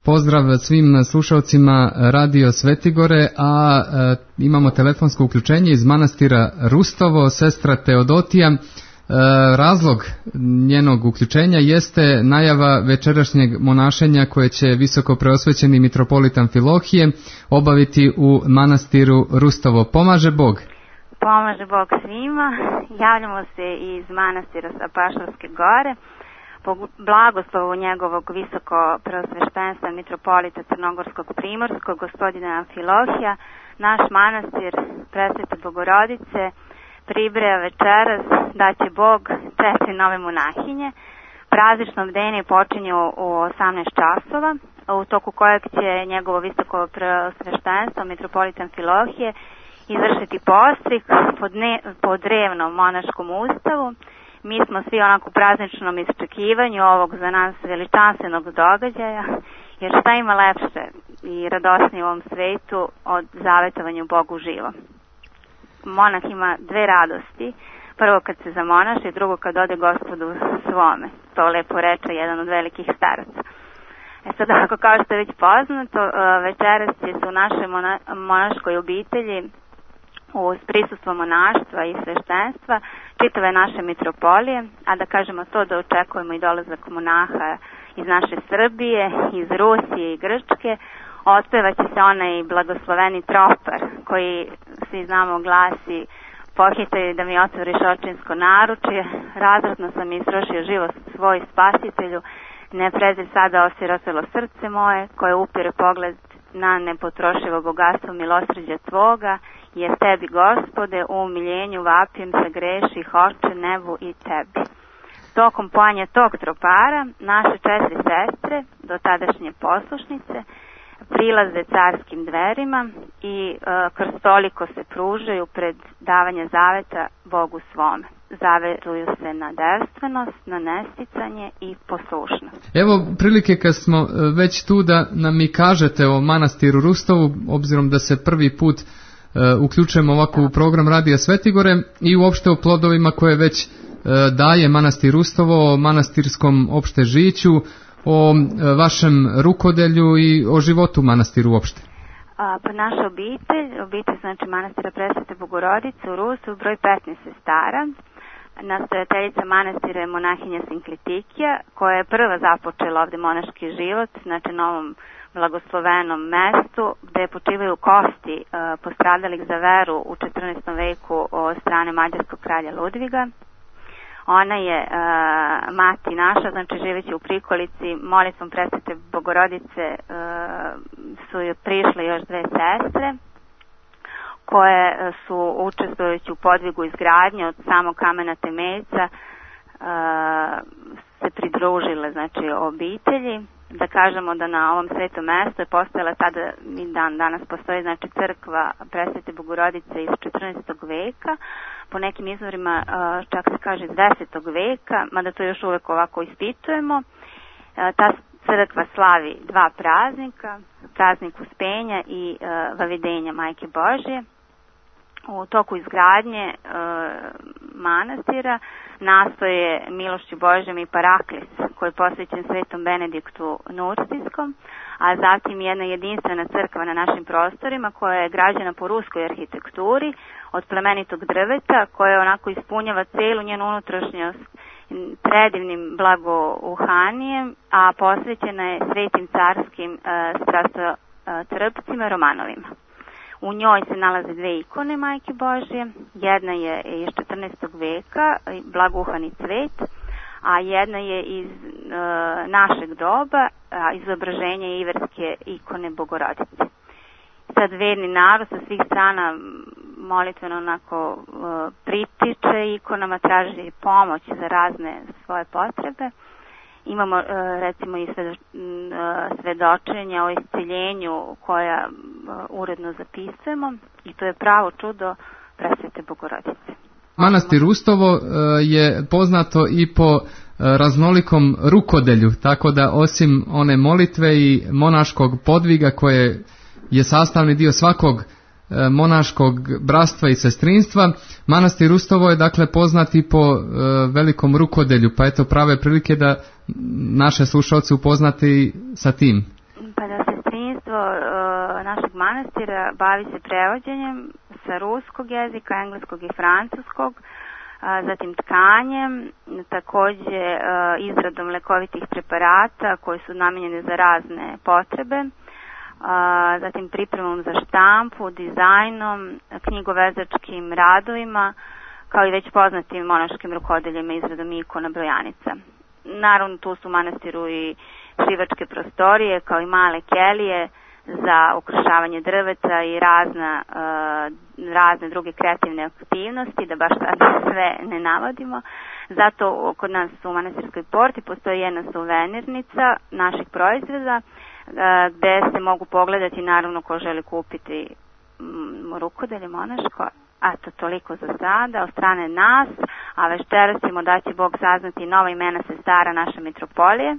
Pozdrav svim slušalcima Radio Svetigore, a imamo telefonsko uključenje iz manastira Rustovo, sestra Teodotija. Razlog njenog uključenja jeste najava večerašnjeg monašenja koje će visoko preosvećeni mitropolit Amfilohije obaviti u manastiru Rustovo. Pomaže Bog? Pomaže Bog svima. Javljamo se iz manastira sa Pašarske gore. Po blagoslovu njegovog visoko preosveštenstva mitropolita Crnogorskog Primorskog, gospodina Amfilohija, naš manastir Presvete Bogorodice pribraja večeras da će Bog 4 nove monahinje. Praznično bdenje počinje u 18 časova, u toku kojeg će njegovo visoko preosveštenstvo mitropolita Amfilohije izvršiti postrik po drevnom monaškom ustavu. Mi smo svi onako u prazničnom iščekivanju ovog za nas veličanstvenog događaja, jer šta ima lepše i radosnije u ovom svetu od zavetovanja Bogu živo. Monah ima 2 radosti. Prvo kad se zamonaši, drugo kad ode Gospodu svome. To lepo reče jedan od velikih staraca. Sad ako kao što je već poznato, večeras će se u našoj monaškoj obitelji uz prisustvo monaštva i sveštenstva čitave naše mitropolije, a da kažemo to da očekujemo i dolazak monaha iz naše Srbije, iz Rusije i Grčke, otpevaće se onaj blagosloveni tropar koji svi znamo glasi: pohite da mi otvoriš očinsko naručje, razradno sam istrošio život svoj Spasitelju, ne prezir sada osirotelo srce moje koje upire pogled na nepotrošivo bogatstvo milosrđa tvoga, jer tebi, Gospode, u umiljenju vapim se greših oče nebu i tebi. Tokom pojanja tog tropara, naše 4 sestre, do tadašnje poslušnice, prilaze carskim dverima i krstoliko se pružaju pred davanje zaveta Bogu svome. Zaveruju se na devstvenost, na nesticanje i poslušnost. Evo prilike kad smo već tu da nam i kažete o manastiru Rustovu, obzirom da se prvi put uključujemo ovako u program Radija Svetigore i uopšte o plodovima koje već daje manastir Rustovo, o manastirskom opšte žiću, o vašem rukodelju i o životu manastiru uopšte. Pa naša obitelj znači manastira Presvete Bogorodice u Rustovu, broj 15 sestara. Nastojateljica manastira je monahinja Sinklitikija, koja je prva započela ovde monaški život, znači na ovom blagoslovenom mestu gde počivaju kosti postradalih za veru u 14. veku od strane mađarskog kralja Ludviga. Ona je mati naša, znači živeći u prikolici, molitvom Presvete Bogorodice su joj prišle još 2 sestre koje su učestvujući u podvigu izgradnje od samog kamena temeljca se pridružile znači obitelji. Da kažemo da na ovom svetom mestu je postojala tada i danas postoji znači crkva Presvete Bogorodice iz 14. veka, po nekim izvorima čak se kaže iz 10. veka, mada to još uvek ovako ispitujemo. Ta crkva slavi 2 praznika, praznik Uspenja i Vavidenja Majke Božje. U toku izgradnje manastira nastoje milošću Božjom i Paraklis, koji je posvećen svetom Benediktu Nurcijskom, a zatim jedna jedinstvena crkva na našim prostorima koja je građena po ruskoj arhitekturi od plemenitog drveta, koja onako ispunjava celu njenu unutrašnjost predivnim blagouhanijem, a posvećena je svetim carskim strastotrpcima Romanovima. U njoj se nalaze 2 ikone Majke Božje, jedna je iz 14. veka, blagouhani cvet, a jedna je iz našeg doba, izobraženja iverske ikone Bogorodice. Sad verni narod sa svih strana molitveno onako pritiče ikonama, traži pomoć za razne svoje potrebe. Imamo recimo i svedočenja o isceljenju koja uredno zapisujemo i to je pravo čudo Presvete Bogorodice. Manastir Rustovo je poznato i po raznolikom rukodelju, tako da osim one molitve i monaškog podviga koje je sastavni dio svakog monaškog bratstva i sestrinstva, manastir Rustovo je dakle poznat i po velikom rukodelju, pa eto prave prilike da naše slušalce upoznati sa tim. Pa da sestrinstvo našeg manastira bavi se prevođenjem sa ruskog jezika, engleskog i francuskog, zatim tkanjem, takođe izradom lekovitih preparata koji su namenjeni za razne potrebe, zatim pripremom za štampu, dizajnom, knjigovezačkim radovima, kao i već poznatim monaškim rukodeljima, izradom ikona, brojanica. Naravno, tu su u manastiru i šivačke prostorije, kao i male kelije za ukrašavanje drveta i razne druge kreativne aktivnosti, da baš sad sve ne navodimo. Zato kod nas u manastirskoj porti postoji jedna suvenirnica naših proizvoda, gde se mogu pogledati, naravno, ko želi kupiti rukodelje monaško. Eto, toliko za sada od strane nas, a večeras ćemo, da će Bog saznati, nova imena sestara naše mitropolije.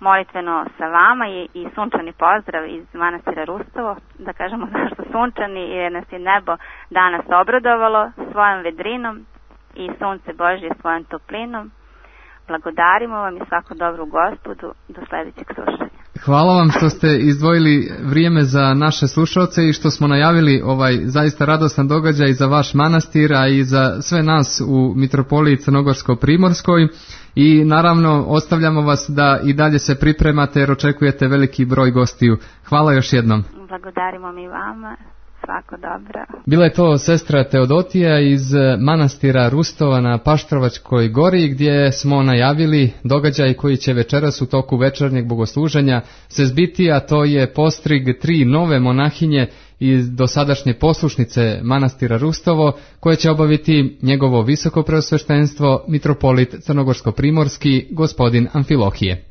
Molitveno sa vama i sunčani pozdrav iz manastira Rustovo, da kažemo zašto sunčani, jer nas je nebo danas obradovalo svojom vedrinom i sunce Božje svojom toplinom. Blagodarimo vam i svako dobro u Gospodu, do sledećeg slušanja. Hvala vam što ste izdvojili vrijeme za naše slušalce i što smo najavili ovaj zaista radostan događaj za vaš manastir, a i za sve nas u Mitropoliji Crnogorsko-Primorskoj. I naravno ostavljamo vas da i dalje se pripremate jer očekujete veliki broj gostiju. Hvala još jednom. Blagodarimo mi vama. Svako dobro. Bila je to sestra Teodotija iz manastira Rustova na Paštrovačkoj gori, gdje smo najavili događaj koji će večeras u toku večernjeg bogosluženja se zbiti, a to je postrig 3 nove monahinje iz dosadašnje poslušnice manastira Rustovo, koje će obaviti njegovo visoko preosveštenstvo mitropolit Crnogorsko-primorski gospodin Amfilohije.